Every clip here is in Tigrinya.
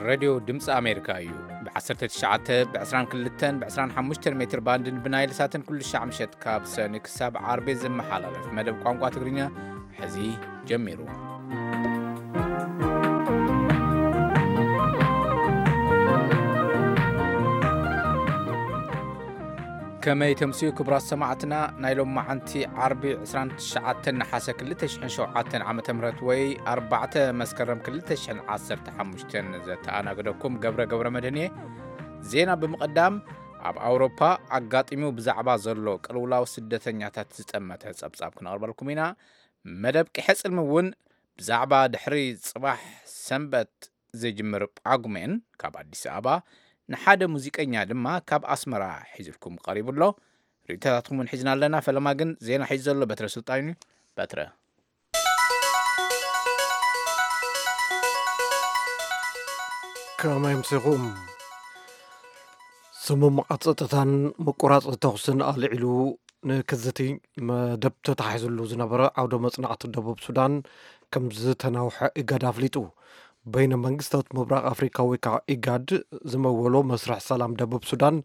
ሬድዮ ድምፂ ኣሜሪካ እዩ። ብ19፣ ብ22፣ ብ25 ሜትር ባንድን ብናይል ሳትን ኩሉ ሻዕ ምሸት ካብ ሰኒ ክሳብ ዓርቢ ዝመሓላለፍ መደብ ቋንቋ ትግርኛ ሕዚ ጀሚሩ። ከመይ ተምስዩ ክቡራት ሰማዕትና፣ ናይ ሎማዓንቲ ዓርቢ 29 ነሓሰ 2007 ዓ.ም ወይ 4 መስከረም 2015 ዘተኣናግደኩም ገብረ ገብረ መድህን እየ። ዜና ብምቕዳም፣ ኣብ ኣውሮፓ ኣጋጢሙ ብዛዕባ ዘሎ ቅልውላው ስደተኛታት ዝጠመተ ጸብጻብ ክነቕርበልኩም ኢና። መደብ ቂሐ ጽልሚ እውን ብዛዕባ ድሕሪ ጽባሕ ሰንበት ዝጅምር ጳጉሜን ካብ ኣዲስ ኣበባ፣ ንሓደ ሙዚቀኛ ድማ ካብ ኣስመራ ሒዝልኩም ቀሪቡ ኣሎ። ርእይቶታትኩም እውን ሒዝና ኣለና። ፈለማ ግን ዜና ሒዙ ዘሎ በትረ ስልጣን እዩ። በትረ። ከመይ ኣምሲኹም? ስምምዓት ጸጥታን ምቁራጽ ተኹስን ኣልዒሉ ንክዝቲ መደብ ተታሒዝሉ ዝነበረ ዓውደ መጽናዕቲ ደቡብ ሱዳን ከም ዝተናውሐ ኢጋድ ኣፍሊጡ። በይነ መንግስታት ምብራቕ ኣፍሪካ ወይ ከዓ ኢጋድ ዝመወሎ መስርሕ ሰላም ደቡብ ሱዳን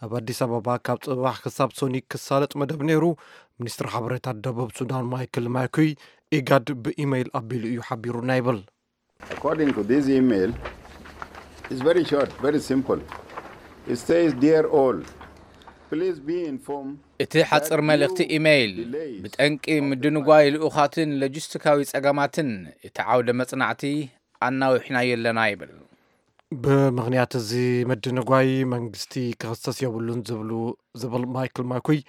ኣብ ኣዲስ ኣበባ ካብ ጽባሕ ክሳብ ሶኒ ክሳለጥ መደብ ነይሩ። ሚኒስትሪ ሓበሬታ ደቡብ ሱዳን ማይክል ማኩይ ኢጋድ ብኢሜይል ኣቢሉ እዩ ሓቢሩና ይብል። According to this email, it's very short, very simple. It says, "Dear all, please be informed." እቲ ሓጽር መልእኽቲ ኢሜይል፣ ብጠንቂ ምድንጓይ ልኡኻትን ሎጂስቲካዊ ጸገማትን እቲ ዓውደ መጽናዕቲ ኣናዊሕናዮ ኣለና ይብል። ብምኽንያት እዚ ምድንጓይ መንግስቲ ክኽሰስ የብሉን ዝብሉ ዝብል ማይክል ማኩይ፣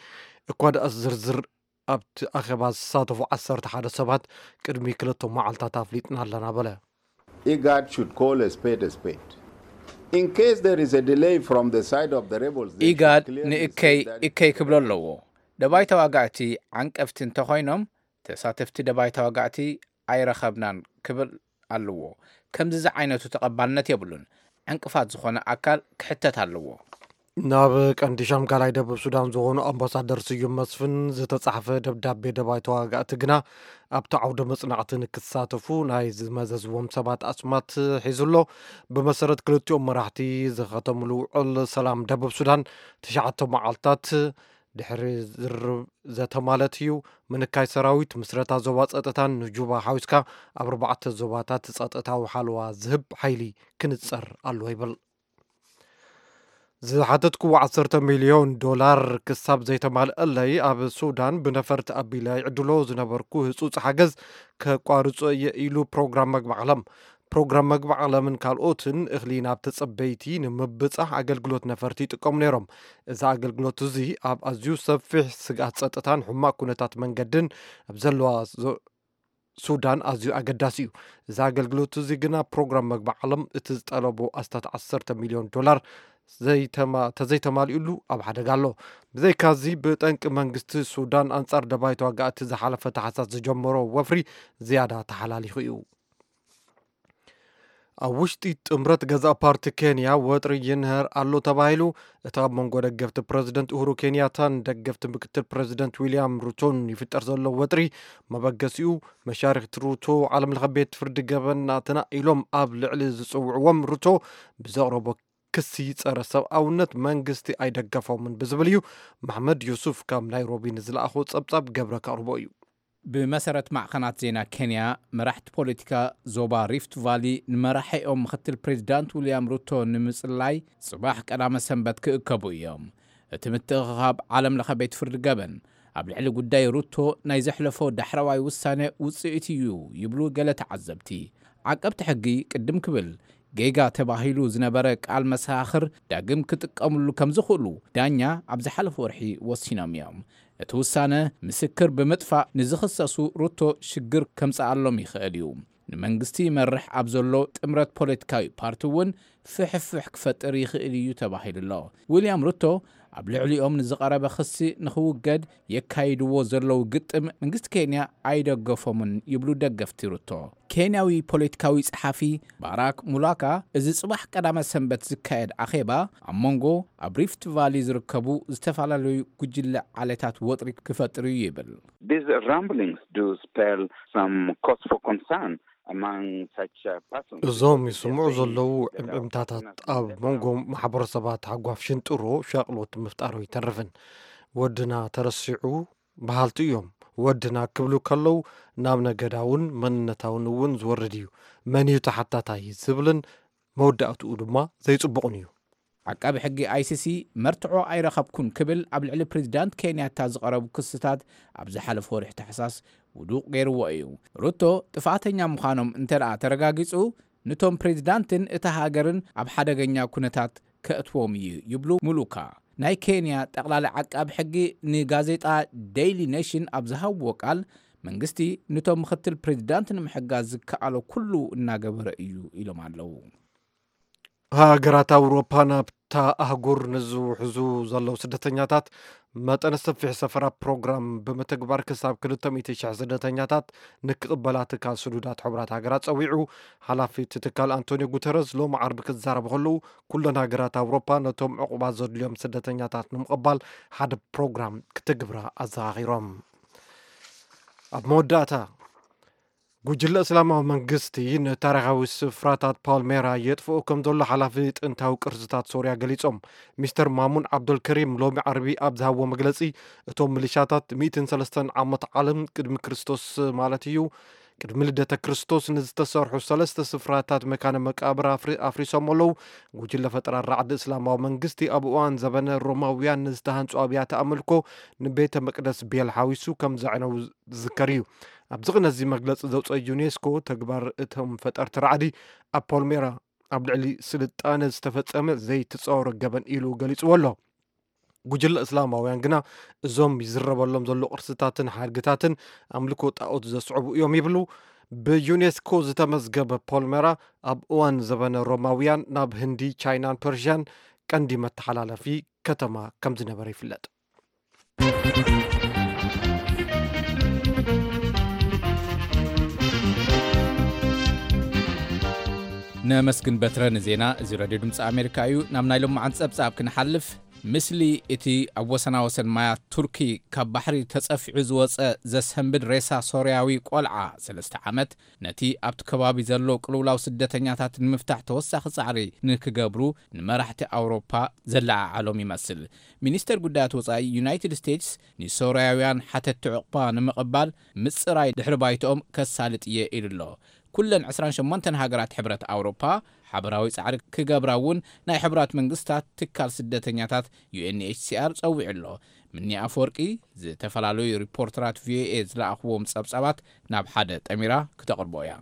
እኳ ደኣስ ዝርዝር ኣብቲ ኣኼባ ዝሳተፉ ዓሰርተ ሓደ ሰባት ቅድሚ ክልተ መዓልታት ኣፍሊጥና ኣለና በለ። IGAD should call a spade a spade. In case there is a delay from the side of the rebels, they should ኢጋድ clearly ንእከይ say that እከይ ክብሎ ኣለዎ። ደባይ ተዋጋእቲ ዓንቀፍቲ እንተኾይኖም፣ ተሳተፍቲ ደባይ ተዋጋእቲ ኣይረኸብናን ክብል ኣለዎ። ከምዚ ዝዓይነቱ ተቐባልነት የብሉን። ዕንቅፋት ዝኾነ ኣካል ክሕተት ኣለዎ። ናብ ቀንዲ ሻምጋላይ ደቡብ ሱዳን ዝኾኑ ኣምባሳደር ስዩም መስፍን ዝተጻሕፈ ደብዳቤ ደባይ ተዋጋእቲ ግና ኣብቲ ዓውደ መጽናዕቲ ንክሳተፉ ናይ ዝመዘዝዎም ሰባት ኣስማት ሒዙ ኣሎ። ብመሰረት ክልቲኦም መራሕቲ ዝኸተምሉ ውዕል ሰላም ደቡብ ሱዳን ትሽዓተ መዓልታት ድሕሪ ዝርብ ዘተ ማለት እዩ። ምንካይ ሰራዊት፣ ምስረታ ዞባ ጸጥታን ንጁባ ሓዊስካ ኣብ ኣርባዕተ ዞባታት ጸጥታዊ ሓለዋ ዝህብ ሓይሊ ክንጸር ኣለዎ ይብል። ዝሓተትክዎ ዓሰርተ ሚልዮን ዶላር ክሳብ ዘይተማልአለይ ኣብ ሱዳን ብነፈርቲ ኣቢለ ይዕድሎ ዝነበርኩ ህጹጽ ሓገዝ ከቋርጾ እየ ኢሉ ፕሮግራም መግቢ ዓለም። ፕሮግራም መግቢ ዓለምን ካልኦትን እኽሊ ናብ ተጸበይቲ ንምብጻሕ ኣገልግሎት ነፈርቲ ይጥቀሙ ነይሮም። እዚ ኣገልግሎት እዚ ኣብ ኣዝዩ ሰፊሕ ስግኣት ጸጥታን ሕማቕ ኩነታት መንገድን ኣብ ዘለዋ ዞ- ሱዳን ኣዝዩ ኣገዳሲ እዩ። እዚ ኣገልግሎት እዚ ግና ፕሮግራም መግቢ ዓለም እቲ ዝጠለቦ ኣስታት ዓሰርተ ሚልዮን ዶላር ዘይተማ- ተዘይተማሊኡሉ ኣብ ሓደጋ ኣሎ። ብዘይካዚ ብጠንቂ መንግስቲ ሱዳን ኣንጻር ደባይ ተዋጋእቲ ዝሓለፈ ታሕሳስ ዝጀመሮ ወፍሪ ዝያዳ ተሓላሊኹ እዩ። ኣብ ውሽጢ ጥምረት ገዛእ ፓርቲ ኬንያ ወጥሪ ይንህር ኣሎ ተባሂሉ። እቲ ኣብ መንጎ ደገፍቲ ፕረዚደንት ኡሁሩ ኬንያታን ደገፍቲ ምክትል ፕረዚደንት ዊልያም ሩቶን ይፍጠር ዘሎ ወጥሪ መበገሲኡ መሻርክቲ ሩቶ ዓለም ለኸ ቤት ፍርዲ ገበን ናትና ኢሎም ኣብ ልዕሊ ዝጽውዕዎም ሩቶ ብዘቕረቦ ክሲ ጸረ ሰብኣውነት መንግስቲ ኣይደገፎምን ብዝብል እዩ። መሕመድ ዩሱፍ ካብ ናይሮቢ ንዝለኣኾ ጸብጻብ ገብረ ከቕርቦ እዩ። ብመሰረት ማዕኸናት ዜና ኬንያ፣ መራሕቲ ፖለቲካ ዞባ ሪፍት ቫሊ ንመራሒኦም ምክትል ፕሬዚዳንት ዊልያም ሩቶ ንምጽላይ ጽባሕ ቀዳመ ሰንበት ክእከቡ እዮም። እቲ ምትእኽኻብ ዓለም ለኸ ቤት ፍርዲ ገበን ኣብ ልዕሊ ጉዳይ ሩቶ ናይ ዘሕለፎ ዳሕረዋይ ውሳነ ውጽኢት እዩ ይብሉ ገለ ተዓዘብቲ። ዓቀብቲ ሕጊ ቅድም ክብል ጌጋ ተባሂሉ ዝነበረ ቃል መሰኻኽር ዳግም ክጥቀምሉ ከም ዝኽእሉ ዳኛ ኣብ ዝሓለፈ ወርሒ ወሲኖም እዮም። እቲ ውሳነ ምስክር ብምጥፋእ ንዝኽሰሱ ሩቶ ሽግር ከምጽኣሎም ይኽእል እዩ። ንመንግስቲ ይመርሕ ኣብ ዘሎ ጥምረት ፖለቲካዊ ፓርቲ እውን ፍሕፍሕ ክፈጥር ይኽእል እዩ ተባሂሉ ኣሎ። ዊልያም ሩቶ ኣብ ልዕሊኦም ንዝቐረበ ክሲ ንኽውገድ የካይድዎ ዘለዉ ግጥም መንግስቲ ኬንያ ኣይደገፎምን ይብሉ ደገፍቲ ሩቶ። ኬንያዊ ፖለቲካዊ ጸሓፊ ባራክ ሙላካ፣ እዚ ጽባሕ ቀዳመ ሰንበት ዝካየድ ኣኼባ ኣብ መንጎ ኣብ ሪፍት ቫሊ ዝርከቡ ዝተፈላለዩ ጉጅለ ዓሌታት ወጥሪ ክፈጥር እዩ ይብል። These rumblings do spell some cause for concern. እዞም ይስምዑ ዘለዉ ዕምዕምታታት ኣብ መንጎ ማሕበረሰባት ሃጓፍ ሽንጥሮ ሻቕሎት ምፍጣሩ ኣይተርፍን። ወድና ተረሲዑ በሃልቲ እዮም። ወድና ክብሉ ከለዉ ናብ ነገዳውን መንነታውን እውን ዝወርድ እዩ። መን እዩ ተሓታታይ ዝብልን መወዳእትኡ ድማ ዘይጽቡቕን እዩ። ዓቃቢ ሕጊ ኣይሲሲ መርትዖ ኣይረኸብኩን ክብል ኣብ ልዕሊ ፕሬዚዳንት ኬንያታ ዝቐረቡ ክስታት ኣብ ዝሓለፈ ወርሒ ታሕሳስ ውዱቕ ገይርዎ እዩ። ሩቶ ጥፍኣተኛ ምዃኖም እንተ ደኣ ተረጋጊጹ፣ ንቶም ፕሬዚዳንትን እታ ሃገርን ኣብ ሓደገኛ ኩነታት ከእትዎም እዩ ይብሉ ሙሉካ። ናይ ኬንያ ጠቕላሊ ዓቃቢ ሕጊ ንጋዜጣ ዴይሊ ኔሽን ኣብ ዝሃብዎ ቃል፣ መንግስቲ ንቶም ምኽትል ፕሬዚዳንት ንምሕጋዝ ዝከኣሎ ኩሉ እናገበረ እዩ ኢሎም ኣለዉ። ሃገራት ኣውሮፓ ናብታ ኣህጉር ንዝውሕዙ ዘለዉ ስደተኛታት መጠነ ሰፊሕ ሰፈራ ፕሮግራም ብምትግባር ክሳብ ክልተ ሚእቲ ሽሕ ስደተኛታት ንክቕበላ ትካል ስዱዳት ሕቡራት ሃገራት ጸዊዑ። ሓላፊ እቲ ትካል ኣንቶኒዮ ጉተረስ ሎሚ ዓርቢ ክዛረቡ ከለዉ፣ ኩለን ሃገራት ኣውሮፓ ነቶም ዕቑባ ዘድልዮም ስደተኛታት ንምቕባል ሓደ ፕሮግራም ክትግብራ ኣዘኻኺሮም። ኣብ መወዳእታ፣ ጉጅለ እስላማዊ መንግስቲ ንታሪኻዊ ስፍራታት ፓልሜራ የጥፍኦ ከም ዘሎ ሓላፊ ጥንታዊ ቅርስታት ሶርያ ገሊጾም። ሚስተር ማሙን ዓብዶልከሪም ሎሚ ዓርቢ ኣብ ዝሃብዎ መግለጺ፣ እቶም ሚሊሻታት ሚእትን ሰለስተን ዓመት ዓለም ቅድሚ ክርስቶስ ማለት እዩ፣ ቅድሚ ልደተ ክርስቶስ ንዝተሰርሑ ሰለስተ ስፍራታት መካነ መቃብር ኣፍሪ-፣ ኣፍሪሶም ኣለዉ። ጉጅለ ፈጠራ ራዕዲ እስላማዊ መንግስቲ ኣብ እዋን ዘበነ ሮማውያን ንዝተሃንጹ ኣብያተ ኣምልኮ ንቤተ መቅደስ ቤል ሓዊሱ ከም ዘዕነዉ ዝዝከር እዩ። ኣብዚ ቅነ እዚ መግለጺ ዘውፅኦ ዩኔስኮ፣ ተግባር እቶም ፈጠርቲ ራዕዲ ኣብ ፖልሜራ ኣብ ልዕሊ ስልጣነ ዝተፈጸመ ዘይተጻወረ ገበን ኢሉ ገሊጽዎ ኣሎ። ጉጅለ እስላማውያን ግና እዞም ይዝረበሎም ዘሎ ቅርስታትን ሓድግታትን ኣምልኮ ጣኦት ዘስዕቡ እዮም ይብሉ። ብዩኔስኮ ዝተመዝገበ ፖልሜራ ኣብ እዋን ዘበነ ሮማውያን ናብ ህንዲ፣ ቻይናን ፐርሽያን ቀንዲ መተሓላለፊ ከተማ ከም ዝነበረ ይፍለጥ። ነመስግን በትረ ንዜና። እዚ ሬድዮ ድምፂ ኣሜሪካ እዩ። ናብ ናይ ሎማዓንቲ ጸብጻብ ክንሓልፍ፣ ምስሊ እቲ ኣብ ወሰናወሰን ማያት ቱርኪ ካብ ባሕሪ ተጸፊዑ ዝወጸ ዘሰንብድ ሬሳ ሶርያዊ ቆልዓ ሰለስተ ዓመት፣ ነቲ ኣብቲ ከባቢ ዘሎ ቅልውላው ስደተኛታት ንምፍታሕ ተወሳኺ ጻዕሪ ንክገብሩ ንመራሕቲ ኣውሮፓ ዘለዓዓሎም ይመስል። ሚኒስተር ጉዳያት ወጻኢ ዩናይትድ ስቴትስ ንሶርያውያን ሓተቲ ዕቑባ ንምቕባል ምጽራይ ድሕሪ ባይትኦም ከሳልጥ እየ ኢሉ ኣሎ። ኩለን ዕስራን ሸሞንተን ሃገራት ሕብረት ኣውሮፓ ሓበራዊ ጻዕሪ ክገብራ እውን ናይ ሕቡራት መንግስታት ትካል ስደተኛታት ዩ ኤን ኤች ሲ ኣር ጸዊዑ ኣሎ። ምኒ ኣፈወርቂ ዝተፈላለዩ ሪፖርተራት ቪ ኦ ኤ ዝለኣኽዎም ጸብጻባት ናብ ሓደ ጠሚራ ክተቕርቦ እያ።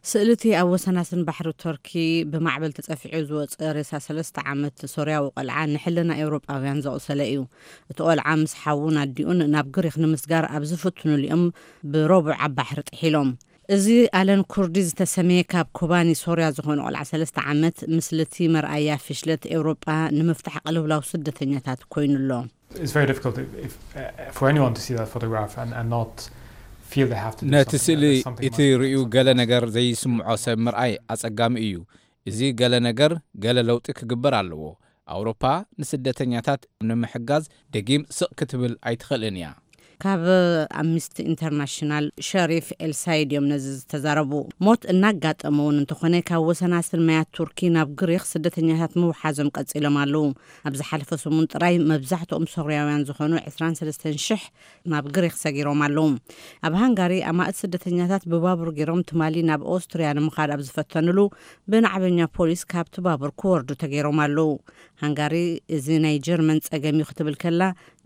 ስእሊ እቲ ኣብ ወሰናስን ባሕሪ ቶርኪ ብማዕበል ተጸፊዑ ዝወጸ ሬሳ ሰለስተ ዓመት ሶርያዊ ቆልዓ ንሕልና ኤውሮጳውያን ዘቑሰለ እዩ። እቲ ቆልዓ ምስ ሓዉን ኣዲኡን ናብ ግሪኽ ንምስጋር ኣብ ዝፍትኑሉ እዮም ብረቡዕ ኣብ ባሕሪ ጥሒሎም። እዚ ኣለን ኩርዲ ዝተሰመየ ካብ ኮባኒ ሶርያ ዝኾነ ቆልዓ ሰለስተ ዓመት ምስልቲ መርኣያ ፍሽለት ኤውሮጳ ንምፍታሕ ቅልውላው ስደተኛታት ኮይኑ ኣሎ። It's very difficult if, if, uh, for anyone to see that photograph and, and not feel they have to do ነቲ something, ስእሊ that there's something እቲ wrong. ርእዩ ገለ ነገር ዘይስምዖ ሰብ ምርኣይ ኣጸጋሚ እዩ። እዚ ገለ ነገር፣ ገለ ለውጢ ክግበር ኣለዎ። ኣውሮፓ ንስደተኛታት ንምሕጋዝ ደጊም ስቕ ክትብል ኣይትኽእልን እያ። ካብ ኣምኒስቲ ኢንተርናሽናል ሸሪፍ ኤልሳይድ እዮም ነዚ ዝተዛረቡ። ሞት እናጋጠመ እውን እንተኾነ፣ ካብ ወሰናስን ማያት ቱርኪ ናብ ግሪኽ ስደተኛታት ምውሓዞም ቀጺሎም ኣለዉ። ኣብ ዝሓለፈ ሰሙን ጥራይ መብዛሕትኦም ሶርያውያን ዝኾኑ ዕስራን ሰለስተን ሽሕ ናብ ግሪኽ ሰጊሮም ኣለዉ። ኣብ ሃንጋሪ ኣማእት ስደተኛታት ብባቡር ገይሮም ትማሊ ናብ ኦስትርያ ንምኻድ ኣብ ዝፈተኑሉ ብናዕበኛ ፖሊስ ካብቲ ባቡር ክወርዱ ተገይሮም ኣለዉ። ሃንጋሪ እዚ ናይ ጀርመን ጸገም እዩ ክትብል ከላ፣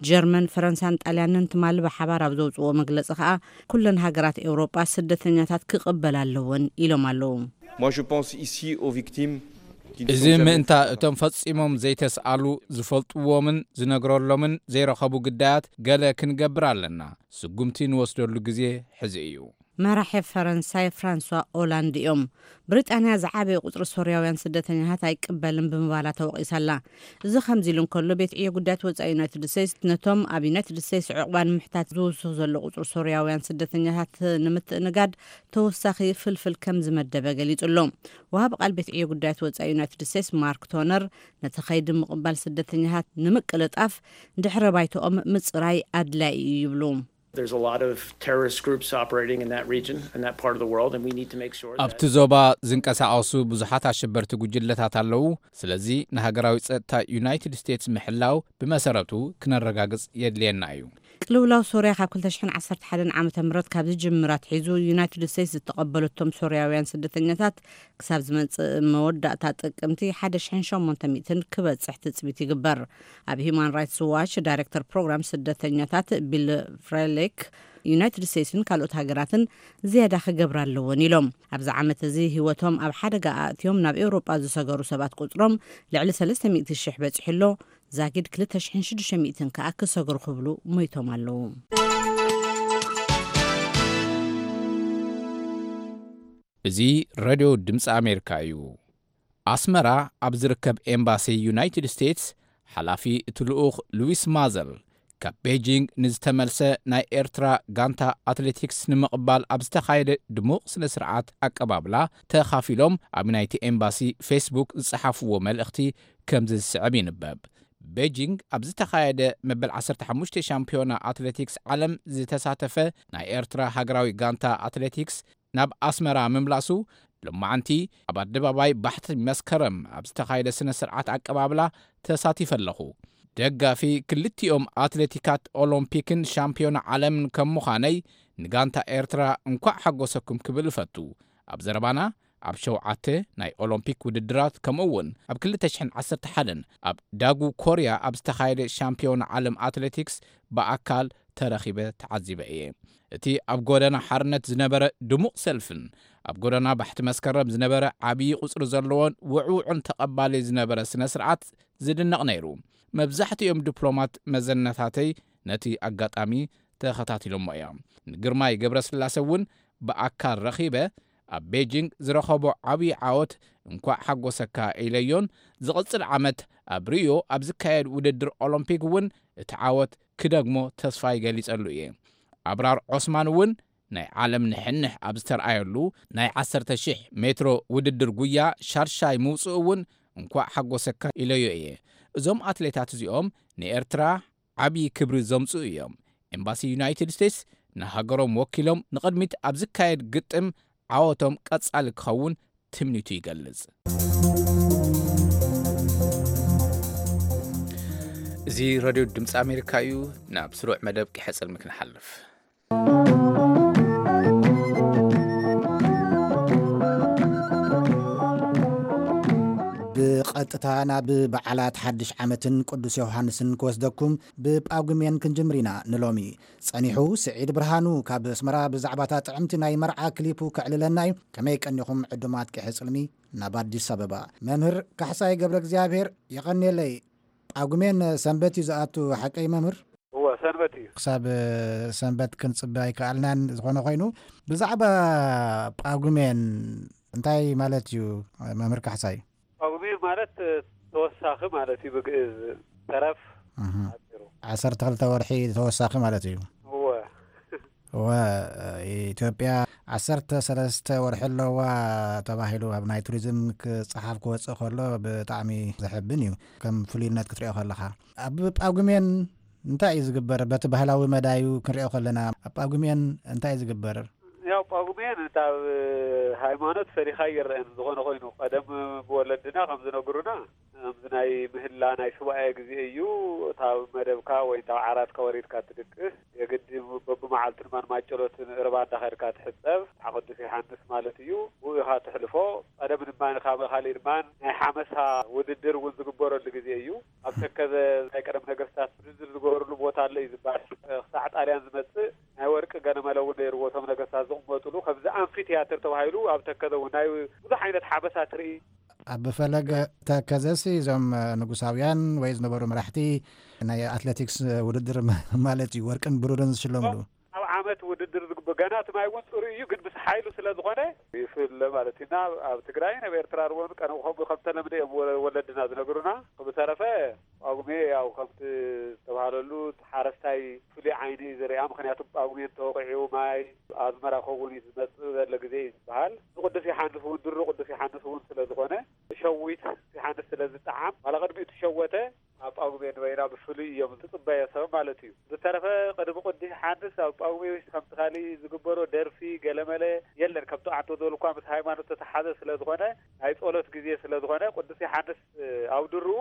ጀርመን፣ ፈረንሳን ጣልያንን ትማሊ ብሓባር ኣብ ዘውጽዎ መግለጺ ከኣ፣ ኩለን ሃገራት ኤውሮጳ ስደተኛታት ክቕበላ ኣለወን ኢሎም ኣለዉ። Moi, je pense ici aux victimes qui ne እዚ sont jamais ምእንታ እቶም ፈጺሞም ዘይተስኣሉ፣ ዝፈልጥዎምን ዝነግረሎምን ዘይረኸቡ ግዳያት ገለ ክንገብር ኣለና። ስጉምቲ ንወስደሉ ግዜ ሕዚ እዩ። መራሒ ፈረንሳይ ፍራንሷ ኦላንድ እዮም። ብሪጣንያ ዝዓበየ ቁጽሪ ሶርያውያን ስደተኛታት ኣይቅበልን ብምባላ ተወቒሳ ኣላ። እዚ ከምዚ ኢሉ እንከሎ፣ ቤት ዕዮ ጉዳያት ወጻኢ ዩናይትድ ስቴትስ ነቶም ኣብ ዩናይትድ ስቴትስ ዕቑባ ንምሕታት ዝውስኽ ዘሎ ቁጽሪ ሶርያውያን ስደተኛታት ንምትእንጋድ ተወሳኺ ፍልፍል ከም ዝመደበ ገሊጹ ኣሎ። ወሃቢ ቃል ቤት ዕዮ ጉዳያት ወጻኢ ዩናይትድ ስቴትስ ማርክ ቶነር፣ ነቲ ኸይዲ ምቕባል ስደተኛታት ንምቅልጣፍ ድሕረ ባይትኦም ምጽራይ ኣድላዪ እዩ ይብሉ። There's a lot of terrorist groups operating in that region, in that part of the world, and we need to make sure that ኣብቲ ዞባ ዝንቀሳቐሱ ብዙሓት ኣሸበርቲ ጉጅለታት ኣለዉ። ስለዚ ንሃገራዊ ጸጥታ ዩናይትድ ስቴትስ ምሕላው ብመሰረቱ ክነረጋግጽ የድልየና እዩ። ቅልውላው ሶርያ ካብ ክልተ ሽሕን ዓሰርተ ሓደን ዓመተ ምህረት ካብ ዝጅምር ኣትሒዙ፣ ዩናይትድ ስቴትስ ዝተቐበለቶም ሶርያውያን ስደተኛታት ክሳብ ዝመጽእ መወዳእታ ጥቅምቲ ሓደ ሽሕን ሸሞንተ ሚእትን ክበጽሕ ትጽቢት ይግበር። ኣብ ሂዩማን ራይትስ ዋች ዳይሬክተር ፕሮግራም ስደተኛታት ቢል ፍሬሊክ፣ ዩናይትድ ስቴትስን ካልኦት ሃገራትን ዝያዳ ክገብራ ኣለወን ኢሎም። ኣብዚ ዓመት እዚ ህይወቶም ኣብ ሓደጋ ኣእትዮም ናብ ኤውሮጳ ዝሰገሩ ሰባት ቁጽሮም ልዕሊ ሰለስተ ሚእቲ ሽሕ በጺሑ ኣሎ። ዛጊድ ክልተ ሽሕን ሽዱሽተ ሚእትን ከኣ ክሰግሩ ክብሉ ሞይቶም ኣለዉ። እዚ ሬድዮ ድምፂ ኣሜሪካ እዩ። ኣስመራ ኣብ ዝርከብ ኤምባሲ ዩናይትድ ስቴትስ ሓላፊ እቲ ልኡኽ ሉዊስ ማዘል፣ ካብ ቤጂንግ ንዝተመልሰ ናይ ኤርትራ ጋንታ ኣትሌቲክስ ንምቕባል ኣብ ዝተኻየደ ድሙቕ ስነ ስርዓት ኣቀባብላ ተኻፊሎም ኣብ ናይቲ ኤምባሲ ፌስቡክ ዝጸሓፍዎ መልእኽቲ ከምዚ ዝስዕብ ይንበብ። ቤጂንግ ኣብ ዝተኻየደ መበል ዓሰርተ ሓሙሽተ ሻምፒዮና ኣትሌቲክስ ዓለም ዝተሳተፈ ናይ ኤርትራ ሃገራዊ ጋንታ ኣትሌቲክስ ናብ ኣስመራ ምምላሱ ሎማዓንቲ ኣብ ኣደባባይ ባሕቲ መስከረም ኣብ ዝተኻየደ ስነ ስርዓት ኣቀባብላ ተሳቲፈ ኣለኹ። ደጋፊ ክልቲኦም ኣትሌቲካት ኦሎምፒክን ሻምፒዮና ዓለምን ከም ምዃነይ ንጋንታ ኤርትራ እንኳዕ ሓጎሰኩም ክብል እፈቱ። ኣብ ዘረባና ኣብ ሸውዓተ ናይ ኦሎምፒክ ውድድራት ከምኡ እውን ኣብ ክልተ ሽሕን ዓሰርተ ሓደን ኣብ ዳጉ ኮርያ ኣብ ዝተኻየደ ሻምፒዮና ዓለም ኣትሌቲክስ ብኣካል ተረኺበ ተዓዚበ እየ። እቲ ኣብ ጎደና ሓርነት ዝነበረ ድሙቕ ሰልፍን ኣብ ጎደና ባሕቲ መስከረም ዝነበረ ዓብዪ ቁጽሪ ዘለዎን ውዕውዕን ተቐባሊ ዝነበረ ስነ ስርዓት ዝድነቕ ነይሩ። መብዛሕትኦም ዲፕሎማት መዘነታተይ ነቲ ኣጋጣሚ ተኸታቲሎሞ እዮም። ንግርማይ ገብረስላሰ እውን ብኣካል ረኺበ ኣብ ቤጂንግ ዝረኸቦ ዓብዪ ዓወት እንኳዕ ሓጎሰካ ኢለዮን ዝቕጽል ዓመት ኣብ ሪዮ ኣብ ዝካየድ ውድድር ኦሎምፒክ እውን እቲ ዓወት ክደግሞ ተስፋ ይገሊጸሉ እየ። ኣብራር ዖስማን እውን ናይ ዓለም ንሕንሕ ኣብ ዝተርኣየሉ ናይ ዓሰርተ ሽሕ ሜትሮ ውድድር ጉያ ሻድሻይ ምውፅኡ እውን እንኳዕ ሓጎሰካ ኢለዮ እየ። እዞም ኣትሌታት እዚኦም ንኤርትራ ዓብዪ ክብሪ ዘምፅኡ እዮም። ኤምባሲ ዩናይትድ ስቴትስ ንሃገሮም ወኪሎም ንቕድሚት ኣብ ዝካየድ ግጥም ዓወቶም ቀጻሊ ክኸውን ትምኒቱ ይገልጽ። እዚ ረድዮ ድምፂ ኣሜሪካ እዩ። ናብ ስሩዕ መደብ ቂሐ ጽልሚ ክንሓልፍ። ብቐጥታ ናብ በዓላት ሓድሽ ዓመትን ቅዱስ ዮሃንስን ክወስደኩም ብጳጉሜን ክንጅምር ኢና ንሎሚ። ጸኒሑ ስዒድ ብርሃኑ ካብ ኣስመራ ብዛዕባታ ጥዕምቲ ናይ መርዓ ክሊፑ ከዕልለና እዩ። ከመይ ቀኒኹም ዕዱማት ቂሐ ጽልሚ ናብ ኣዲስ ኣበባ። መምህር ካሕሳይ ገብረ እግዚኣብሔር የቐንየለይ። ጳጉሜን ሰንበት እዩ ዝኣቱ ሓቀይ መምህር? እወ ሰንበት እዩ። ክሳብ ሰንበት ክንጽበ ኣይከኣልናን። ዝኾነ ኮይኑ ብዛዕባ ጳጉሜን እንታይ ማለት እዩ መምህር ካሕሳይ? ጳጉሜን ማለት ተወሳኺ ማለት እዩ ብግእዝ ተረፍ። ኣጭሩ። ዓሰርተ ክልተ ወርሒ ተወሳኺ ማለት እዩ። እወ። እወ። ኢትዮጵያ ዓሰርተ ሰለስተ ወርሒ ኣለዋ ተባሂሉ ኣብ ናይ ቱሪዝም ክፀሓፍ ክወፅእ ከሎ ብጣዕሚ ዘሕብን እዩ ከም ፍሉይነት ክትሪኦ ከለካ። ኣብ ጳጉሜን እንታይ እዩ ዝግበር? በቲ ባህላዊ መዳዩ ክንሪኦ ከለና ኣብ ጳጉሜን እንታይ እዩ ዝግበር? ያው ጳጉሜን ካብ ሃይማኖት ፈሊኻ ይረአን ዝኾነ ኮይኑ ቀደም ብወለድና ከም ዝነግሩና ከምዚ ናይ ምህላ ናይ ሱባኤ ግዜ እዩ። እታ መደብካ ወይ እታ ዓራትካ ወሪድካ ትድቅስ የግዲ በብመዓልቱ ድማ ንማጨሎትን እርባ እንዳኸድካ ትሕፀብ። ቅዱስ ዮሃንስ ማለት እዩ። ብኡ ኢኻ ትሕልፎ። ቀደም ድማ ካብ ካሊእ ድማ ናይ ሓመሳ ውድድር እውን ዝግበረሉ ግዜ እዩ። ኣብ ተከዘ ናይ ቀደም ነገስታት ውድድር ዝገበርሉ ቦታ ኣሎ እዩ ዝበሃል። ክሳዕ ጣልያን ዝመፅእ ናይ ወርቂ ገነመለ እውን ነይርዎ። እቶም ነገስታት ዝቕመጥሉ ከምዚ ኣምፊ ቲያትር ተባሂሉ ኣብ ተከዘ እውን ናይ ብዙሕ ዓይነት ሓበሳ ትርኢ። ኣብ ፈለገ ተከዘሲ እዞም ንጉሳውያን ወይ ዝነበሩ መራሕቲ ናይ ኣትሌቲክስ ውድድር ማለት እዩ ወርቅን ብሩርን ዝሽለምሉ። ኣብ ዓመት ውድድር ዝግበር ገና እቲ ማይ እውን ፅሩይ እዩ፣ ግን ምስ ሓይሉ ስለ ዝኾነ ይፍለ ማለት እዩ። እና ኣብ ትግራይን ኣብ ኤርትራ እውን ቀደም ከምኡ ከም ተለምደ እዮም ወ- ወለድና ዝነግሩና። ብዝተረፈ ጳጉሜ ያው ከምቲ ዝተባህለሉ እቲ ሓረስታይ ፍሉይ ዓይኒ እዩ ዝሪኣ። ምክንያቱ ጳጉሜ እንተወቂዑ ማይ ኣዝመራ ከውን እዩ ዝመፅእ ዘሎ ግዜ እዩ ዝበሃል። ንቅዱስ ዮሓንስ እውን ድሮ ቅዱስ ዮሓንስ እውን ስለ ዝኾነ ሸዊት ዮሓንስ ስለ ዝጠዓም ዋላ ቅድሚኡ ትሸወተ ኣብ ጳጉሜ ንበይና ብፍሉይ እዮም ዝፅበዮ ሰብ ማለት እዩ። ዝተረፈ ቅድሚ ቅዱስ ዮሓንስ ኣብ ጳጉሜ ከምቲ ካሊእ ዝግበሮ ደርፊ ገለመለ የለን። ከምቲ ኣንተ ዝበልኳ ምስ ሃይማኖት ዝተተሓዘ ስለ ዝኾነ፣ ናይ ጸሎት ግዜ ስለ ዝኾነ፣ ቅዱስ ዮሓንስ ኣብ ድርኡ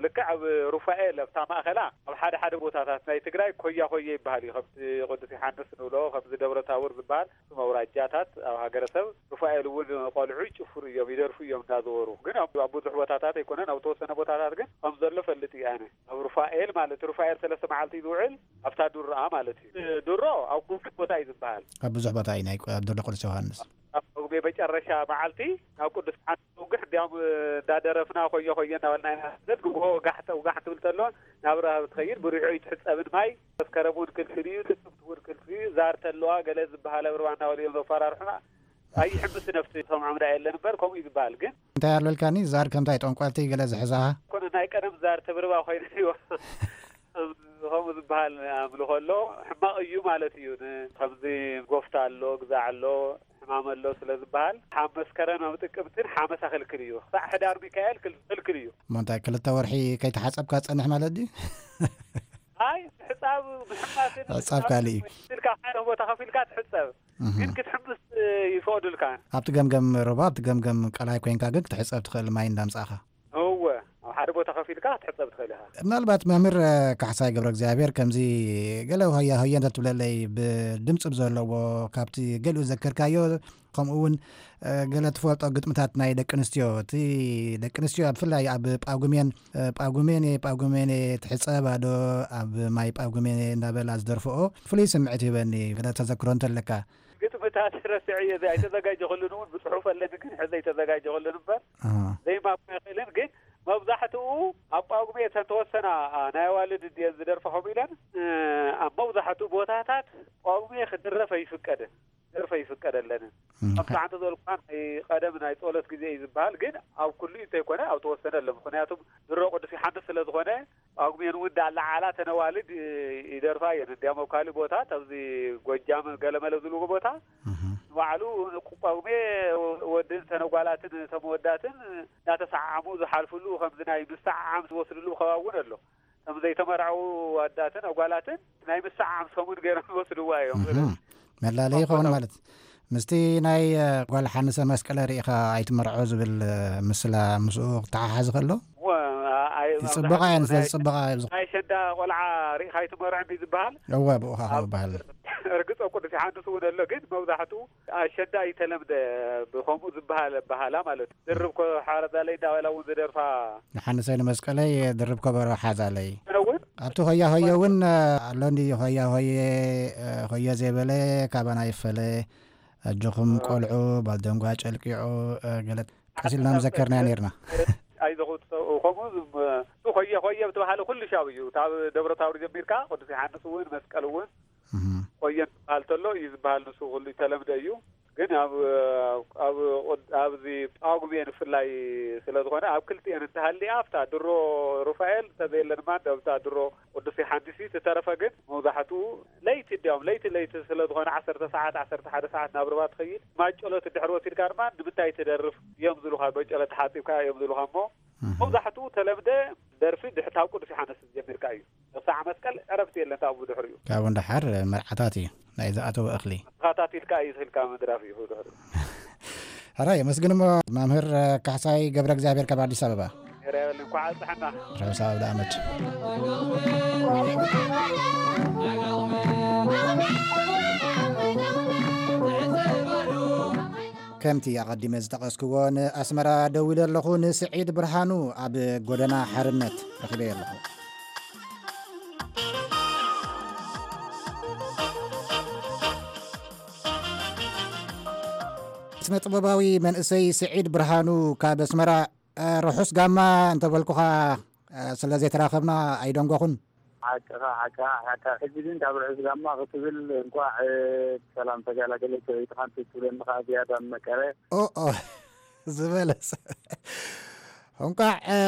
ልክዕ ኣብ ሩፋኤል ኣብታ ማእኸላ ኣብ ሓደ ሓደ ቦታታት ናይ ትግራይ ኮያ ኮየ ይበሃል እዩ። ከምቲ ቅዱስ ዮሓንስ ንብሎ፣ ከምዚ ደብረ ታቦር ዝበሃል እቶም ኣውራጃታት ኣብ ሃገረሰብ ሩፋኤል እውን ቆልዑ ይጭፍሩ እዮም፣ ይደርፉ እዮም እናዘወሩ። ግን ኣብ ኣብ ብዙሕ ቦታታት ኣይኮነን፣ ኣብ ተወሰነ ቦታታት ግን ከም ዘሎ ፈልጥ እዩ ኣነ። ኣብ ሩፋኤል ማለት ሩፋኤል ሰለስተ መዓልቲ ዝውዕል ኣብታ ዱርኣ ማለት እዩ። ድሮ ኣብ ኩሉ ቦታ እዩ ዝበሃል። ኣብ ብዙሕ ቦታ እዩ ናይ ኣብ ድሮ ቅዱስ ዮሃንስ። ኣብ ጳጉሜ መጨረሻ መዓልቲ ናብ ቅዱስ ዮሃንስ ንውግሕ እንዲያውም እንዳደረፍና ኮየ ኮየ እናበልና ኢና ንሰግድ። ጎሆ ጋሕ ተውጋሕ ትብል ተሎ ናብ ረሃብ ትኸይድ። ብሪዖ ይትሕጸብን ማይ መስከረም እውን ክልክል እዩ፣ ጥቅምቲ እውን ክልክል እዩ። ዛር ተለዋ ገለ ዝበሃል ኣብ ርባ እናበሉ እዮም ዘፈራርሑና። ኣይሕምስ ነፍሲ ሰምዖም ደኣ የለን እምበር ከምኡ እዩ ዝበሃል። ግን እንታይ ኣለልካኒ? ዛር ከምታይ ጠንቋልቲ ገለ ዝሕዛ? ኮነ ናይ ቀደም ዛር ተብርባ ኮይነ እዩ። ከምኡ ዝበሃል ኣምልኾ ኣሎ። ሕማቕ እዩ ማለት እዩ። ን-፣ ከምዚ ጎፍታ ኣሎ፣ ግዛዕ ኣሎ፣ ሕማም ኣሎ ስለ ዝበሃል፣ ሓ መስከረም ኣብ ጥቅምትን ሓመሳ ክልክል እዩ። ክሳዕ ሕዳር ሚካኤል ክል-፣ ክልክል እዩ። እሞ እንታይ ክልተ ወርሒ ከይተሓጸብካ ትጸንሕ ማለት ድዩ? ኣይ፣ ምሕጻብ፣ ምሕማስን ሕጻብ ካልእ እዩ። ኢልካ ሓደ ቦታ ከፊልካ ትሕጸብ። እህ። ግን ክትሕምስ ይፈቕዱልካ። ኣብቲ ገምገም ሩባ፣ ኣብቲ ገምገም ቀላይ ኮይንካ ግን ክትሕጸብ ትኽእል፣ ማይ እንዳምጻእኻ። እወ፣ ኣብ ሓደ ቦታ ከፊልካ ክትሕጸብ ትኽእል ኢኻ። ምናልባት መምህር ካሕሳይ ገብረ እግዚኣብሔር ከምዚ ገለ ሆያ ሆየ እንተትብለለይ፣ ብድምፂ ብዘለዎ፣ ካብቲ ገሊኡ ዘከርካዮ፣ ከምኡ እውን ገለ ትፈልጦ ግጥምታት ናይ ደቂ ኣንስትዮ፣ እቲ ደቂ ኣንስትዮ ብፍላይ ኣብ ጳጉሜን፣ ጳጉሜን እየ፣ ጳጉሜን እየ፣ ትሕጸባ ዶ ኣብ ማይ ጳጉሜን እየ እናበላ ዝደርፍኦ ፍሉይ ስምዒት ይህበኒ። ገለ ተዘክሮ እንተለካ? ግጥምታት ረሲዐዮ፣ እዚ ኣይተዘጋጀኹሉን እውን፣ ብጽሑፍ ኣለኒ ግን ሕዚ ኣይተዘጋጀኹሉን እምበር፣ ኣሃ። ዘይማኩ ኣይኽእልን። ግን መብዛሕትኡ ኣብ ጳጉሜ እተን ተወሰና፣ ኣ፣ ናይ ኣዋልድ ድየን ዝደርፋ ከምኡ ኢለን፣ እ፣ ኣብ መብዛሕትኡ ቦታታት ጳጉሜ ክድረፍ ኣይፍቀድን፣ ክደርፍ ኣይፍቀደለንን። እም፣ ከምቲ ሓንቲ ዝበልኩኻ ናይ ቀደም ናይ ጸሎት ግዜ እዩ ዝበሃል፣ ግን ኣብ ኩሉ እንተይኮነ ኣብ ተወሰነ ኣሎ። ምኽንያቱም ድሮ ቅዱስ ዮሓንስ ስለ ዝኾነ፣ ጳጉሜን እውን እንዳለዓላ ተነዋልድ ይደርፋ እየን። እንዲያም ኣብ ካልእ ቦታ፣ ኣብዚ ጎጃም ገለመለ ዝብልዎ ቦታ፣ እህ። ንባዕሉ ጳጉሜ ወድን ተነጓላትን ተመወዳትን እናተሰዓዓሙ ዝሓልፍሉ፣ ከምዚ ናይ ምስዓዓም ዝወስድሉ ከባቢ እውን ኣሎ። ከም ዘይተመርዐው ኣዳትን ኣጓላትን ናይ ምስዓዓም ሰሙን ገይሮም ይወስድዋ እዮም። እህ። መላለይ ይኸውን ማለት ምስቲ ናይ፣ እ፣ ጓል ሓንሰ መስቀለ ርኢኻ ኣይትመርዖ ዝብል፣ እ፣ ምስላ ምስኡ ክተሓሓዝ ከሎ? እወ፣ ኣ-፣ ኣይ-፣ ይጽበቓ እየን፣ መብዛሕትኡ ስለ ናይ፣ ዝጽበቓ እየ። ናይ ኣሸንዳ ቆልዓ ርኢኻ ኣይትመርዖ እንዲ ዝበሃል። እወ፣ ብኡ ኸዓ ኣብ ዝበሃል። ርግጾ ቅዱስ ዮሓንስ እውን ኣሎ፣ ግን መብዛሕትኡ ኣሸንዳ ኣይተለምደ ብኸምኡ ዝበሃል በሃላ ማለት እዩ። ድርብ ኮ-፣ ሓረዛለይ እንዳበላ እውን ዝደርፋ። ንሓንሰይ ንመስቀለይ ድርብ ከበሮ ሓዛለይ። ኣነ እውን ኣብቲ ሆያ ሆየ እውን፣ እ፣ ኣሎ እንዲ ሆያ ሆየ፣ እ፣ ሆየ ዘይበለ ካባና ይፈለ። ኣጆኹም ቆልዑ፣ ባልደንጓ ጨልቂዑ፣ እ፣ ገለ ቀስ ኢልና ምዘከርናዮ ነይርና። ኣይዘኹ፣ ከምኡ ዝም-፣ እሱ ኾየ ኾየ ብተባሃለ ኩሉ ሻብ እዩ። ካብ ደብረ ታቦር ጀሚርካ ቅዱስ ዮሓንስ እውን መስቀል እውን እህ። ኾየ ዝበሃል ተሎ እዩ ዝበሃል። ንሱ ኩሉ ይተለምደ እዩ። ግን ኣብ፣ ኣብ፣ ኣብዚ ጳጉሜ ንፍላይ ስለ ዝኾነ ኣብ ክልቲኤን እንተሃሊኣ ኣብታ ድሮ ሩፋኤል እንተዘየለ ድማ ኣብታ ድሮ ቅዱስ ዮሓንስ እዩ። ዝተረፈ ግን መብዛሕትኡ ለይቲ፣ እንዲያውም ለይቲ ለይቲ ስለ ዝኾነ ዓሰርተ ሰዓት፣ ዓሰርተ ሓደ ሰዓት ናብ ርባ ትኸይድ። ማይ ጸሎት እንድሕር ወሲድካ ድማ ንምንታይ ትደርፍ እዮም ዝብሉኻ፣ ማይ ጸሎት ተሓጺብካ እዮም ዝብሉኻ። እሞ እህ። መብዛሕትኡ ተለምደ ደርፊ ድሕር ካብ ቅዱስ ዮሓንስ ጀሚርካ እዩ። ክሳዕ መስቀል ዕረፍቲ የለን ካብኡ ብድሕሪኡ። ካብኡ ንደሓር መርዓታት እዩ ናይ ዝኣተወ እኽሊ። ተኸታቲልካ እዩ ዝህልካ ምድራፍ እዩ ብድሕሪኡ። ሕራይ፣ የመስግን እሞ መምህር ካሕሳይ ገብረ እግዚኣብሔር ካብ ኣዲስ ኣበባ። ሄራይ በል፣ እንኳዕ ኣብጽሐና። ርሑስ ኣውደ ዓመት። ከምቲ ኣቐዲመ ዝጠቐስክዎ፣ ንኣስመራ ደዊለ ኣለኹ። ንስዒድ ብርሃኑ ኣብ ጎደና ሓርነት ረኺበዮ ኣለኹ። ስነ ጥበባዊ መንእሰይ ስዒድ ብርሃኑ ካብ ኣስመራ፣ እ፣ ርሑስ ጋማ እንተበልኩኻ፣ እ፣ ስለ ዘይተራኸብና ኣይደንጎኹን። ሓቅኻ፣ ሓቅኻ፣ ሓቅኻ። ሕጂ ግን ካብ ርሑስ ጋማ ክትብል እንቋዕ፣ እ፣ ብሰላም ተገላገለች ሰበይትኻን ትብለኒ ኸዓ ዝያዳ መቀረ። ኦ፣ ኦ፣ ዝበለጸ። እንቋዕ፣ እ፣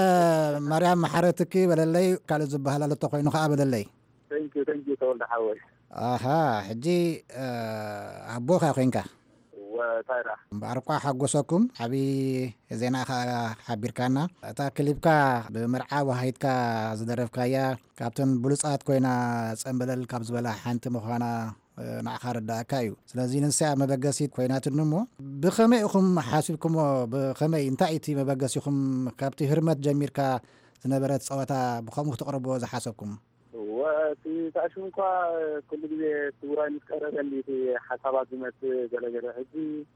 ማርያም መሓረትኪ በለለይ፣ ካልእ ዝበሃል ኣሎ ተኾይኑ ኸዓ በለለይ። Thank you፣ thank you ተወልደ ሓወይ። ኣሃ፣ ሕጂ፣ እ፣ ኣቦኻ ኮይንካ? እወ፣ እንታይ ደኣ? እምበኣር እኳ ሓጎሰኩም፣ ዓቢ ዜና ኢኻ ሓቢርካና። እታ ክሊፕካ ብመርዓ ወሃይትካ ዝደረፍካያ፣ ካብተን ብሉጻት ኮይና ጸምበለል ካብ ዝበላ ሓንቲ ምዃና ንዓኻ ረዳእካ እዩ። ስለዚ ንሳ መበገሲት ኮይናትኒ እሞ፣ ብኸመይ ኢኹም ሓሲብኩሞ? ብኸመይ፣ እንታይ እቲ መበገሲኹም? ካብቲ ህርመት ጀሚርካ ዝነበረት ጸወታ ብኸምኡ ክትቕርብዎ ዝሓሰብኩም? እወ፣ እቲ ታሽሙ እኳ ኩሉ ግዜ እቲ ውራይ ምስ ቀረበኒ እቲ ሓሳባት ዝመጽእ ገለገለ። ሕጂ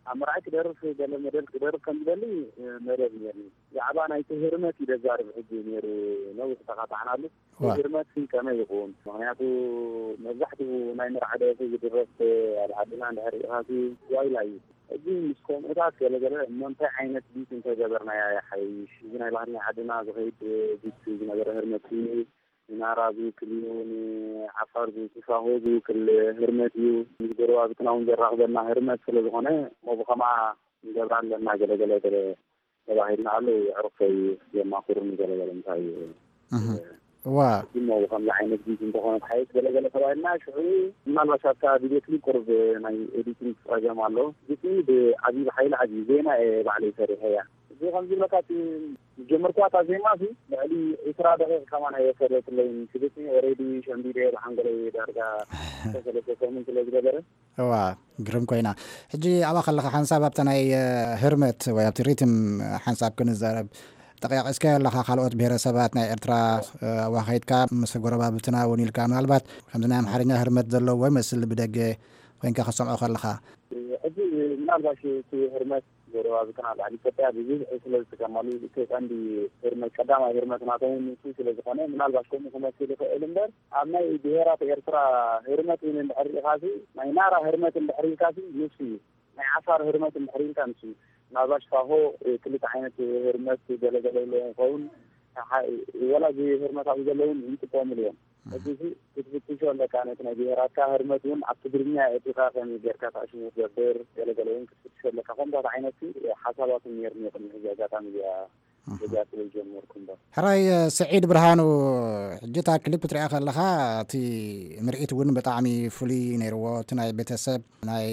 ኣብ መርዓይ ክደርፍ፣ ገለ መደብ ክደርፍ ከም ዝበሊ መደብ ነርኒ። ብዛዕባ ናይቲ ህርመት እዩ ዘዛርብ ሕጂ ነይሩ፣ ነዊሕ ተኻታዕናሉ። ዋ። ህርመት ከመይ ይኹን? ምኽንያቱ መብዛሕትኡ ናይ መርዓ ደርፊ ዝድረፍ ኣብ ዓድና እንድሕር ኢኻሲ ዋይላ እዩ። ሕጂ ምስ ከምኡታት ገለገለ እሞ እንታይ ዓይነት ቢት እንተገበርናያ ይሓይሽ? እዚ ናይ ባህልና ዓድና ዝኸይድ ቢት ዝነበረ ህርመት እዩ። ንናራ ዝውክል እዩ፣ ንዓፋር ዝውክል፣ ሳሆ ዝውክል ህርመት እዩ። ምስ ጎረባብትና እውን ዘራኽበና ህርመት ስለ ዝኾነ እሞ ብኸምኣ ንገብራ ኣለና ገለገለ ገለ ተባሂልና ኣሎ። የዕሩኽተይ የማኽሩኒ ገለገለ እንታይ እዩ። እህ። ዋ። እሞ ብኸምዚ ዓይነት ቢት እንተኾነ ተሓይሽ ገለገለ ተባሂልና ሽዑ ምናልባት ኣብታ ቪድዮ ክሊፕ ቁሩብ ናይ ኤዲቲንግ ጸገም ኣሎ። ግጥሚ ብዓብዪ ብሓይሊ ዓብዪ ዜማ እየ ባዕለይ ሰሪሐያ። እዚ ከም ዝብለካ እቲ ዝጀመርኩዋ እታ ዜማ እዚ ልዕሊ ዕስራ ደቂቕ ከማን ኣይወሰደትለይን። እቲ ግጥሚ ኦሬዲ ሸምዲደ ብሓንጎለይ ዳርጋ ሰለስተ ሰሙን ስለ ዝገበረ። እዋ፣ ግርም ኮይና። ሕጂ ኣብኣ ከለኻ ሓንሳብ ኣብታ ናይ፣ እ፣ ህርመት ወይ ኣብቲ ሪትም ሓንሳብ ክንዛረብ ጠቂቕስካዮ ኣለኻ። ካልኦት ብሄረሰባት ናይ ኤርትራ፣ እ፣ ኣብኣ ከይድካ ምስ ጎረባብትና እውን ኢልካ ምናልባት ከምዚ ናይ ኣምሓርኛ ህርመት ዘለዎ ይመስል ብደገ ኮይንካ ክትሰምዖ ከለኻ። ሕጂ ምናልባሽ እቲ ህርመት ጎረባብትና ኣብ ልዕሊ ኢትዮጵያ ብብዝሒ ስለ ዝጥቀማሉ፣ እቲ ቀንዲ ህርመት፣ ቀዳማይ ህርመት ናቶም ንሱ ስለ ዝኾነ፣ ምናልባሽ ከምኡ ክመስል ይኽእል እምበር፣ ኣብ ናይ ብሄራት ኤርትራ ህርመት እውን እንድሕር ርኢኻሲ፣ ናይ ናራ ህርመት እንድሕር ኢልካሲ፣ ንሱ እዩ። ናይ ዓፋር ህርመት እንድሕር ኢልካ፣ ንሱ እዩ። ምናልባሽ ሳሆ፣ ክልተ ዓይነት ህርመት ገለገለ ኣለዎ ይኸውን። ሓ-፣ ወላ እዚ ህርመት ኣብኡ ዘለውን ይጥቀሙሉ እዮም። እህ። እዚ ክትፍትሾ ኣለካ፣ ነቲ ናይ ብሄራትካ ህርመት እውን ኣብ ትግርኛ ኤርትራ ከመይ ጌርካ ታሽሙ ትገብር፣ ገለገለ እውን ክትፍትሾ ኣለካ። ከምታት ዓይነት ሓሳባት እውን ነይርኒ ቅድሚ ሕዚ ኣጋጣሚ እዚኣ እህ። ገዛ ስለ ዝጀመርኩ እምበር። ሕራይ፣ ስዒድ ብርሃኑ፣ ሕጂ እታ ክሊፕ ትሪኣ ከለኻ፣ እቲ ምርኢት እውን ብጣዕሚ ፍሉይ ነይርዎ። እቲ ናይ ቤተሰብ፣ ናይ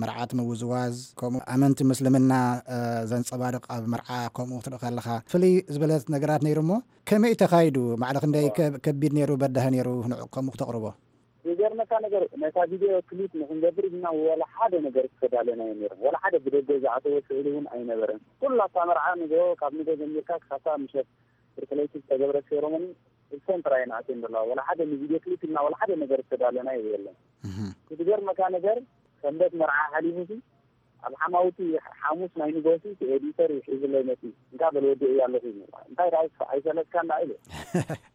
መርዓት ምውዝዋዝ፣ ከምኡ ኣመንቲ ምስልምና፣ እ፣ ዘንጸባርቕ ኣብ መርዓ ከምኡ ክትርኢ ከለኻ፣ ፍልይ ዝበለት ነገራት ነይሩ እሞ፣ ከመይ እዩ ተኻይዱ? ማዕረ ክንደይ ከ-፣ ከቢድ ነይሩ፣ በዳሂ ነይሩ፣ ንዕኡ ከምኡ ክተቕርቦ? ዝገርመካ ነገር፣ ነታ ቪድዮ ክሊፕ ንክንገብር ኢልና ወላ ሓደ ነገር ዝተዳለናዮ ነይሩ። ወላ ሓደ ብደገ ዝኣተወ ስእሊ እውን ኣይነበረን። ኩላ እታ መርዓ ንግሆ፣ ካብ ንግሆ ጀሚርካ ክሳብ ምሸት ፍርቂ ለይቲ ዝተገብረ ሴሮሞኒ፣ እሰን ጥራይ እየን ኣትየን ዘለዋ። ወላ ሓደ ንቪድዮ ክሊፕ ኢልና ወላ ሓደ ነገር ዝተዳለናዮ የለን። እህ። እቲ ዝገርመካ ነገር፣ ሰንበት መርዓ ሓሊፉሲ፣ ኣብ ሓማውቲ ሓሙስ ናይ ንጎሲ እቲ ኤዲተር እዩ ሒዙለይ መፂኡ። እንካ በል ወዲኤያ ኣለኹ ኢሉ። እንታይ ደኣ ይስፋ-፣ ኣይሰለስካን ደኣ ኢሉ።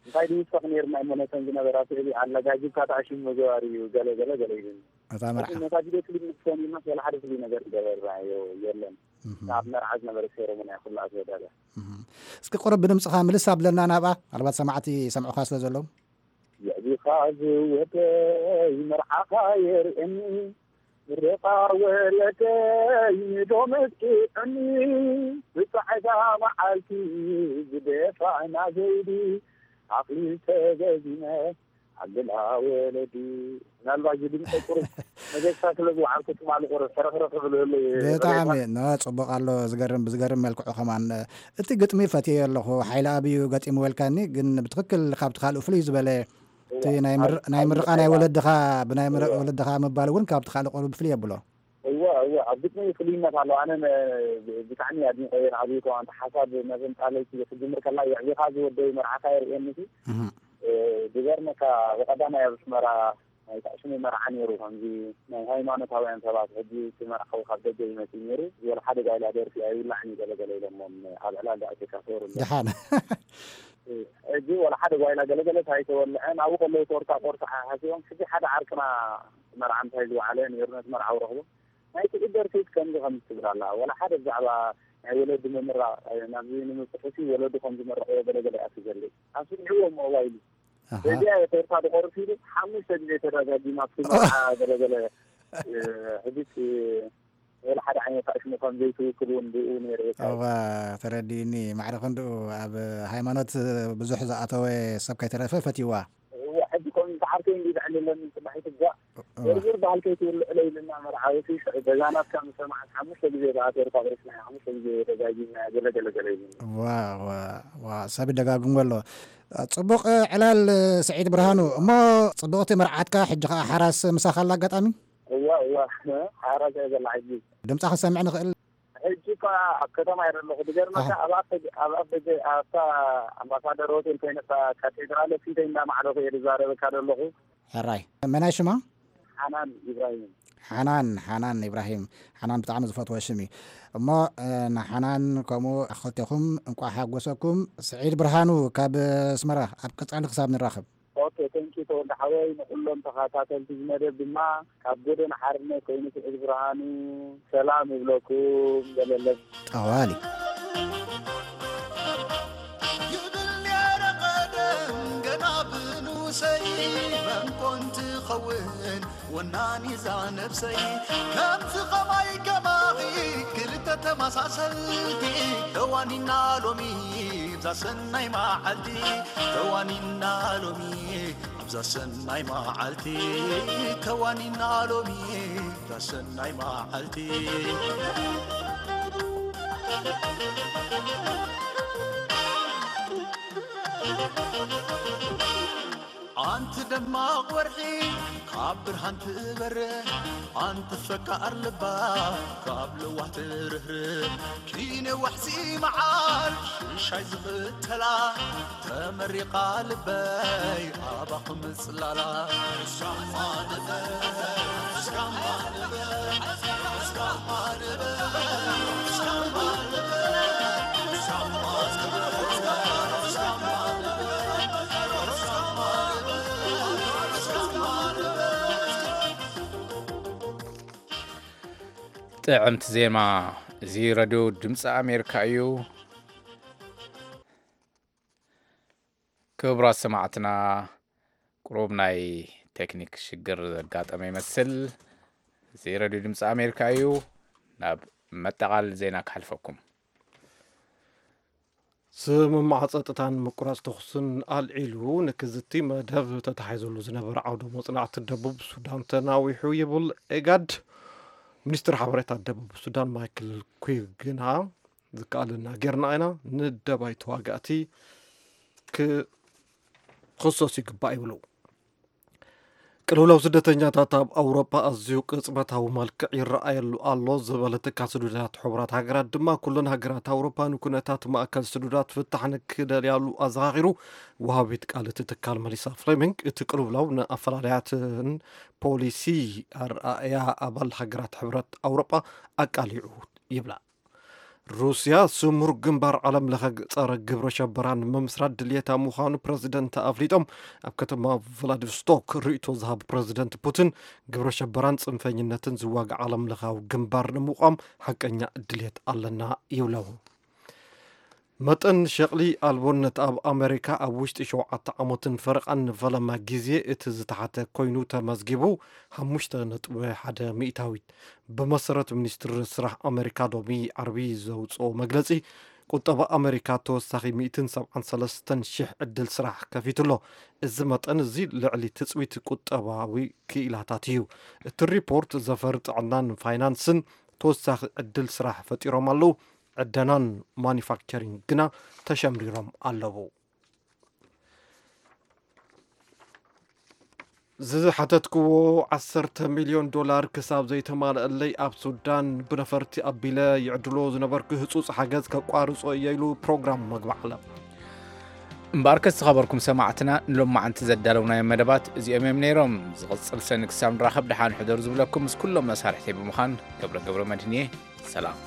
እንታይ ድዩ ይስፈኽ ነይርና እሞ ነተን ዝነበራ ስእሊ ኣለጋጊብካ ተኣሽሙ መዘዋሪ እዩ፣ ገለ ገለ ገለ ኢሉኒ። እታ መርዓ። ነታ ቪድዮ ክሊፕ ምስ ሰሚዕናስ ወላ ሓደ ፍሉይ ነገር ዝገበርናዮ የለን። እህ። ኣብ መርዓ ዝነበረ ሴሮሞኒ እያ ኩላ ተወዳድያ። እህ። እስኪ ቁሩብ ብድምፅኻ ምልስ ኣብለና ናብኣ፣ ምናልባት ሰማዕቲ ይሰምዑኻ ስለ ዘለዉ። የዕቢኻ ዝወደይ መርዓኻ የርእየኒ፣ ምርቓ ወለደይ ንዶ መጥቂዕኒ፣ ብጻዕዳ መዓልቲ ዝደፋእና ዘይዲ፣ ዓቕሊ ተገዚመ ኣልላ ወለዲ። ምናልባት እዚ ድምፂ ቁሩብ መገሻ ስለ ዝወዓልኩ ትማሊ ቁሩብ ሕርኽርኽ ክብል ህሉ እዩ። ብጣዕሚ፣ ኖ፣ ጽቡቕ ኣሎ። ዝገርም፣ ብዝገርም መልክዑ ከማን፣ እቲ ግጥሚ ፈትየዮ ኣለኹ። ሓይለ ኣብዩ ገጢምዎ ኢልካኒ፣ ግን ብትኽክል ካብቲ ካልኡ ፍልይ ዝበለ፣ እቲ እዋ፣ ናይ ምር-፣ ኣብ፣ ናይ ኣብ ምርቓ ናይ ሓይለ ወለድኻ፣ ብናይ ምር-፣ እዋ። ወለድኻ ምባል እውን ካብቲ ካልእ ቁሩብ ፍልይ የብሎ። እዋ፣ እዋ፣ ኣብ ግጥሚ ፍሉይነት ኣሎ። ኣነ ነ-፣ ብ-፣ ብጣዕሚ ኣድኒቐዮ ንኣብዩ ከማን፣ እቲ ሓሳብ መዘንጣለይቲ ክትጅምር ከላ፣ የዕቢኻ ዝወደይ መርዓኻ የርእየኒ እቲ፣ እህ። እ፣ ዝገርመካ፣ ብቐዳማይ ኣብ ኣስመራ ናይ ታዕሽሙ መርዓ ነይሩ፣ ከምዚ ናይ ሃይማኖታውያን ሰባት፣ ሕጂ እቲ መርዓዊ ካብ ደገ ይመጽእ ነይሩ፣ ወላ ሓደ ጓይላ ደርፊ ኣይውላዕን እዩ ገለ ገለ ኢሎሞም፣ ኣብ ዕላል ደኣ ቴካሶር ኣሎ። ደሓን። ሕጂ ወላ ሓደ ጓይላ ገለ ገለ ኣይተወልዐን፣ ኣብኡ ከለዉ ቶርታ ቆርሳ ሓሲቦም፣ ሕጂ ሓደ ዓርክና መርዓ እንታይ ዝወዓለ ነይሩ፣ ነቲ መርዓዊ ረኽቦ። ናይቲ ኡበር ኬስ ከምዚ ከምዚ ትብል ኣላ። ወላ ሓደ ብዛዕባ ናይ ወለዲ ምምራቕ፣ ናብዚ ንምብጽሑሲ ወለዱ ከም ዝመረቕዎ ገለ ገለ እያ ትገልጽ። ኣስሚዕዎ እሞ ዋይሉ። ኣሃ። በዚኣ እየ ቶርታ ዝቖርስ ኢሉ ሓሙሽተ ግዜ ተደጋጊማ ኣብቲ መርዓ ገለ ገለ፣ እ፣ ሕጂስ፣ እ፣ ወላ ሓደ ዓይነት ኣሽሙ ከም ዘይትውክል እውን ብኡ ነይረ እየ። እዋ፣ ተረዲእኒ። ማዕረ ክንድኡ ኣብ ሃይማኖት ብዙሕ ዝኣተወ ሰብ ከይተረፈ ፈትይዋ። እዋ፣ ሕጂ ከምዚ ሰዓርከይ እንዲ ዘዕልለኒ ጽባሒት እዛ እ-፣ እ። ዝርዝር ባህልከይ ትውልዕለ ኢልና መርዓውቲ ገዛ ናትካ ምስ ሰማዕት ሓሙሽተ ግዜ ብኣተርካ ቅርስና ሓሙሽተ ግዜ ደጋጊምና ገለ ገለ ገለ ኢሉኒ። ዋ፣ ዋ፣ ዋ፣ ሰብ ይደጋግሞ ኣሎ። ጽቡቕ ዕላል ስዒድ ብርሃኑ። እሞ ጽቡቕቲ መርዓትካ ሕጂ ኸኣ ሓራስ ምሳኻ ኣላ ኣጋጣሚ? እዋ፣ እዋ፣ ሓራስ እየ ዘላ ሕጂ። ድምጻ ክንሰምዕ ንኽእል? ሕጂ እኳ ኣብ ከተማ እየ ዘለኹ። ዝገርመካ፣ ኣሃ። ኣብ ኣፍ ደገ፣ ኣብ ኣፍ ደገ፣ ኣብታ ኣምባሳደር ሆቴል ኮይነ፣ እታ ካቴድራል ፊተይ እንዳማዕለኹ እየ ዝዛረበካ ዘለኹ። ሕራይ። መናይ ሽማ? ሓናን ኢብራሂም። ሓናን፣ ሓናን ኢብራሂም። ሓናን ብጣዕሚ ዝፈትዎ ሽም እዩ። እሞ፣ እ፣ ንሓናን ከምኡ ክልቴኹም እንቋዕ ሓጎሰኩም። ስዒድ ብርሃኑ ካብ ኣስመራ፣ ኣብ ቀጻሊ ክሳብ ንራኸብ። ኦኬ፣ ቴንኪ ተወልደ ሓወይ። ንኹሎም ተኸታተልቲ እዚ መደብ ድማ ካብ ጎደና ሓርነት ኮይኑ ስዒድ ብርሃኑ ሰላም ይብለኩም። ዘለለብ። ጠዋሊ። ይብል ነይረ ቀደም ገና ብንኡሰይ፣ መን ኮን ትኸውን ወናኒዛ ነብሰይ። ከምዚ ኸማይ ከማኺ ክልተ ተመሳሰልቲ፣ ተዋኒና ሎሚ እዛ ሰናይ መዓልቲ፣ ተዋኒና ሎሚ እዛ ሰናይ መዓልቲ፣ ተዋኒና ሎሚ እዛ ሰናይ መዓልቲ። ኣንቲ ደማቕ ወርሒ ካብ ብርሃን ትበርህ፣ ኣንቲ ፈቃር ልባ ካብ ለዋህ ትርህርህ። ኪነ ዋሕዚ መዓር ሽሻይ ዝኽተላ፣ ተመሪቓ ልበይ ኣባኹም ጽላላ። ጥዕምቲ ዜማ። እዚ ረድዮ ድምፂ ኣሜሪካ እዩ። ክቡራት ሰማዕትና፣ ቁሩብ ናይ ቴክኒክ ሽግር ዘጋጠመ ይመስል። እዚ ረድዮ ድምፂ ኣሜሪካ እዩ። ናብ መጠቓለሊ ዜና ክሓልፈኩም። ስምምዕ ጸጥታን ምቁራጽ ተኹስን ኣልዒሉ ንክዝቲ መደብ ተታሒዙሉ ዝነበረ ዓውደ መጽናዕቲ ደቡብ ሱዳን ተናዊሑ ይብል ኤጋድ። ሚኒስትር ሓበሬታ ደቡብ ሱዳን ማይክል ኩይ ግና ዝከኣለና ጌርና ኢና፣ ንደባይ ተዋጋእቲ ክኽሰሱ ይግባእ ይብሉ። ቅልውላው ስደተኛታት ኣብ ኣውሮፓ ኣዝዩ ቅጽበታዊ መልክዕ ይረኣየሉ ኣሎ ዝበለ ትካል ስዱዳት ሕቡራት ሃገራት ድማ፣ ኩለን ሃገራት ኣውሮፓ ንኩነታት ማእከል ስዱዳት ፍታሕ ንክደልያሉ ኣዘኻኺሩ። ወሃቢት ቃል እቲ ትካል መሊሳ ፍሌሚንግ፣ እቲ ቅልውላው ንኣፈላላያትን ፖሊሲ ኣረኣእያ ኣባል ሃገራት ሕብረት ኣውሮፓ ኣቃሊዑ ይብላ። ሩስያ ስሙር ግንባር ዓለም ለኸ ጸረ ግብረ ሸበራ ንምምስራት ድልየታ ምዃኑ ፕረዚደንት ኣፍሊጦም። ኣብ ከተማ ቭላዲቭስቶክ ርእይቶ ዝሃቡ ፕረዚደንት ፑቲን፣ ግብረ ሸበራን ጽንፈኝነትን ዝዋጋእ ዓለም ለኻዊ ግንባር ንምቋም ሓቀኛ ድልየት ኣለና ይብለው። መጠን ሸቕሊ ኣልቦነት ኣብ ኣመሪካ ኣብ ውሽጢ ሸውዓተ ዓመትን ፈረቓን ንፈለማ ግዜ እቲ ዝተሓተ ኮይኑ ተመዝጊቡ፣ ሓሙሽተ ነጥቢ ሓደ ሚእታዊት። ብመሰረት ሚኒስትሪ ስራሕ ኣመሪካ ሎሚ ዓርቢ ዘውፅኦ መግለፂ፣ ቁጠባ ኣመሪካ ተወሳኺ ሚእትን ሰብዓን ሰለስተን ሽሕ ዕድል ስራሕ ከፊቱ ኣሎ። እዚ መጠን እዚ ልዕሊ ትፅቢት ቁጠባዊ ክኢላታት እዩ። እቲ ሪፖርት ዘፈር ጥዕናን ፋይናንስን ተወሳኺ ዕድል ስራሕ ፈጢሮም ኣለዉ። ዕደናን ማኒፋክቸሪንግ ግና ተሸምሪሮም ኣለዉ። ዝሓተትክዎ ዓሰርተ ሚልዮን ዶላር ክሳብ ዘይተማልአለይ ኣብ ሱዳን ብነፈርቲ ኣቢለ ይዕድሎ ዝነበርኩ ህጹጽ ሓገዝ ከቋርጾ እየ ኢሉ ፕሮግራም መግቢ ዓለም። እምበኣርከስ ዝኸበርኩም ሰማዕትና፣ ንሎማዓንቲ ዘዳለውናዮም መደባት እዚኦም እዮም ነይሮም። ዝቕጽል ሰኒ ክሳብ ንራኸብ ደሓን ሕደሩ ዝብለኩም ምስ ኩሎም መሳርሕተይ ብምዃን ገብረ ገብረ መድህን እየ። ሰላም።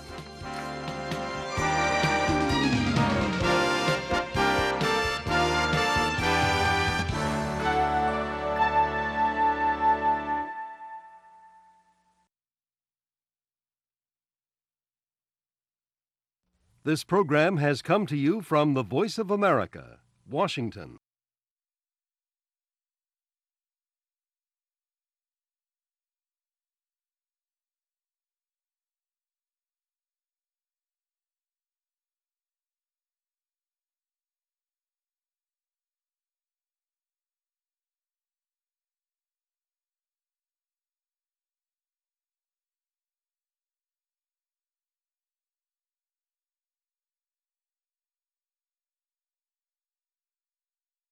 This program has come to you from the Voice of America, Washington.